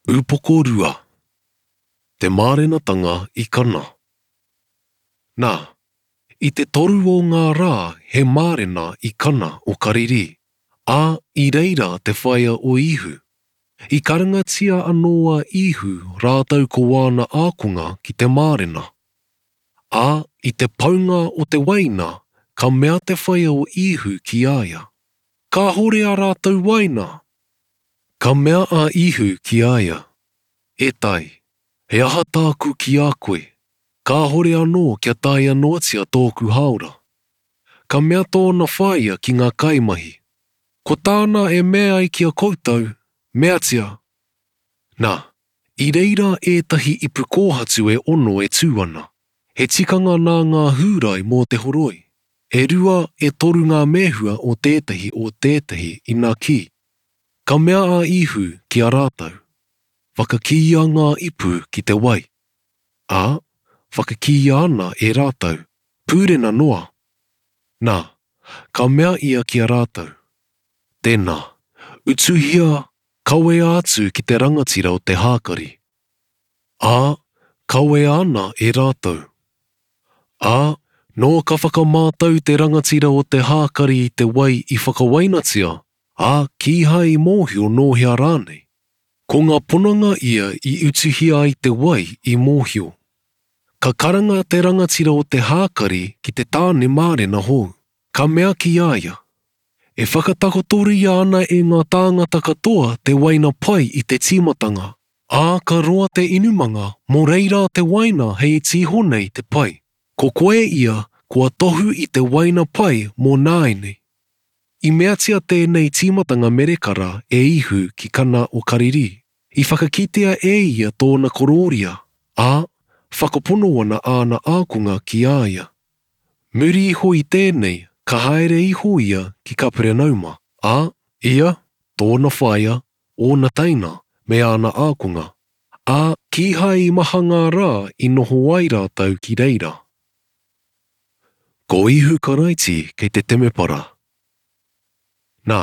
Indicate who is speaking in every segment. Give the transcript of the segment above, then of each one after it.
Speaker 1: Upoko rua. Te mārenatanga i Kana. Nā, i te toru o ngā rā he mārena i Kana o Karirī, ā, i reira te whaea o Īhu. I karangatia anō a Īhu rātou ko āna ākonga ki te mārena. Ā, i te paunga o te waina, ka mea te whaea o Īhu ki a ia, Kāhore ā rātou waina! Ka mea a Īhu ki a ia, E tai, he aha tāku ki a koe? Kāhore anō kia taea noatia tōku hāora. Ka mea tōna whaea ki ngā kaimahi, Ko tāna e mea ai ki a koutou, meatia! Nā, i reira ētahi ipu kōhatu e ono e tū ana, he tikanga nā ngā Hūrai mō te horoi, e rua e toru ngā mēhua o tētahi o tētahi ina kī. Ka mea a Īhu ki a rātou, Whakakīia ngā ipu ki te wai. Ā, whakakīia ana e rātou, pūrena noa. Nā, ka mea ia ki a rātou, Tēnā, utuhia, kawea atu ki te rangatira o te hākari. Ā, kawea ana e rātou. Ā, nō ka whakamātau te rangatira o te hākari i te wai i whakawainatia, ā, kīhai i mōhio nō hea rānei. Ko ngā pononga ia i utuhia ai te wai i mōhio. Ka karanga te rangatira o te hākari ki te tāne mārena hou, ka mea ki a ia, E whakatakotoria ana e ngā tāngata katoa te waina pai i te tīmatanga, ā, ka roa te inumanga, mō reira te waina hei iti iho nei te pai. Ko koe ia kua tohu i te waina pai mō nāianei. I meatia tēnei tīmatanga merekara e Ihu ki Kana o Karirī. I whakakitea e ia tōna korōria, ā, whakapono ana āna ākonga ki a ia. Muri iho i tēnei, ka haere iho ia ki Kaperenauma, ā, ia, tōna whaea, ōna teina, me āna ākonga. Ā, kīhai i maha ngā rā i noho ai rātou ki reira. Ko Ihu Karaiti kei te temepara. Nā,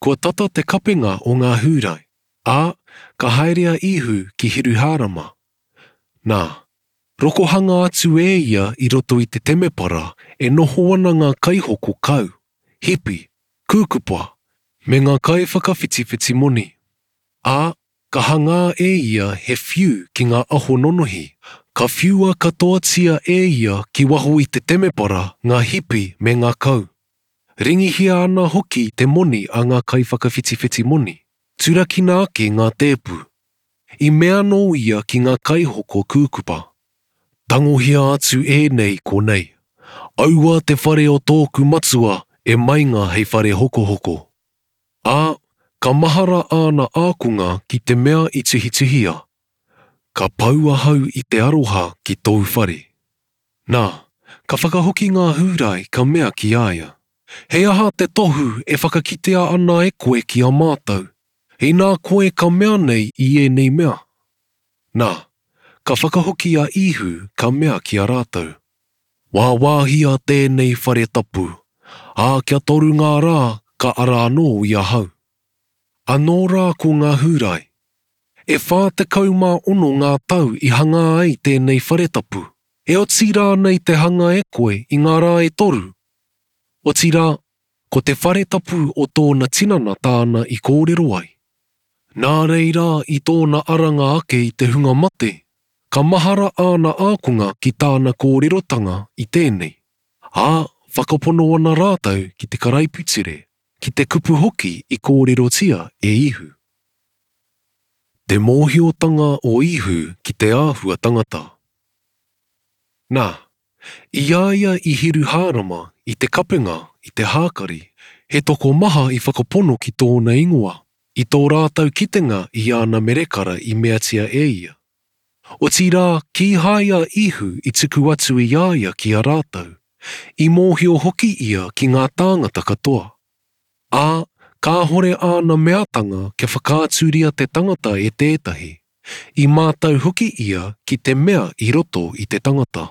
Speaker 1: kua tata te kapenga o ngā Hūrai, ā, ka haere a Ihu ki Hiruhārama. Nā, rokohanga atu e ia i roto i te temepara e noho ana ngā kaihoko kau, hipi, kūkupa, me ngā kaiwhakawhitiwhiti moni. Ā, Ka hangā e ia he whiu ki ngā aho nonohi, ka whiua katoatia e ia ki waho i te temepara ngā hipi me ngā kau. Ringihia ana hoki te moni a ngā kaiwhakawhitiwhiti moni, turakina ake ngā tēpu. I mea anō ia ki ngā kaihoko kūkupa, Tangohia atu ēnei konei. Aua te whare o tōku matua e mainga hei whare hokohoko. Ā, ka mahara āna ākonga ki te mea i tuhituhia, Ka pau ahau i te aroha ki tōu whare. Nā, ka whakahoki ngā Hūrai ka mea ki a ia, He aha te tohu e whakakitea ana e koe ki a mātou, inā koe ka mea nei i ēnei mea? Nā, ka whakahoki a Īhu ka mea ki a rātou, Wāwāhia tēnei whare tapu, ā, kia toru ngā rā ka ara anō i ahau. Anō rā ko ngā Hūrai. E 46 ngā tau i hangā ai tēnei whare tapu, e oti rānei te hanga e koe i ngā rā e toru? Otirā, ko te whare tapu o tōna tinana tāna i kōrero ai. Nā reira i tōna aranga ake i te hunga mate, Ka mahara āna ākonga ki tāna kōrerotanga i tēnei, ā, whakapono ana rātou ki te karaipiture, ki te kupu hoki i kōrerotia e Īhu. Te mōhiotanga o Īhu ki te āhua tangata. Nā, i a ia i Hiruhārama i te kapenga i te hākari, he tokomaha i whakapono ki tōna ingoa, i tō rātou kitenga i āna merekara i meatia e ia. Otirā, kīhai a Ihu i tuku atu i a ia ki a rātou, i mōhio hoki ia ki ngā tāngata katoa. Ā, kāhore āna meatanga kia whakaaturia te tangata e tētahi, i mātau hoki ia ki te mea i roto i te tangata.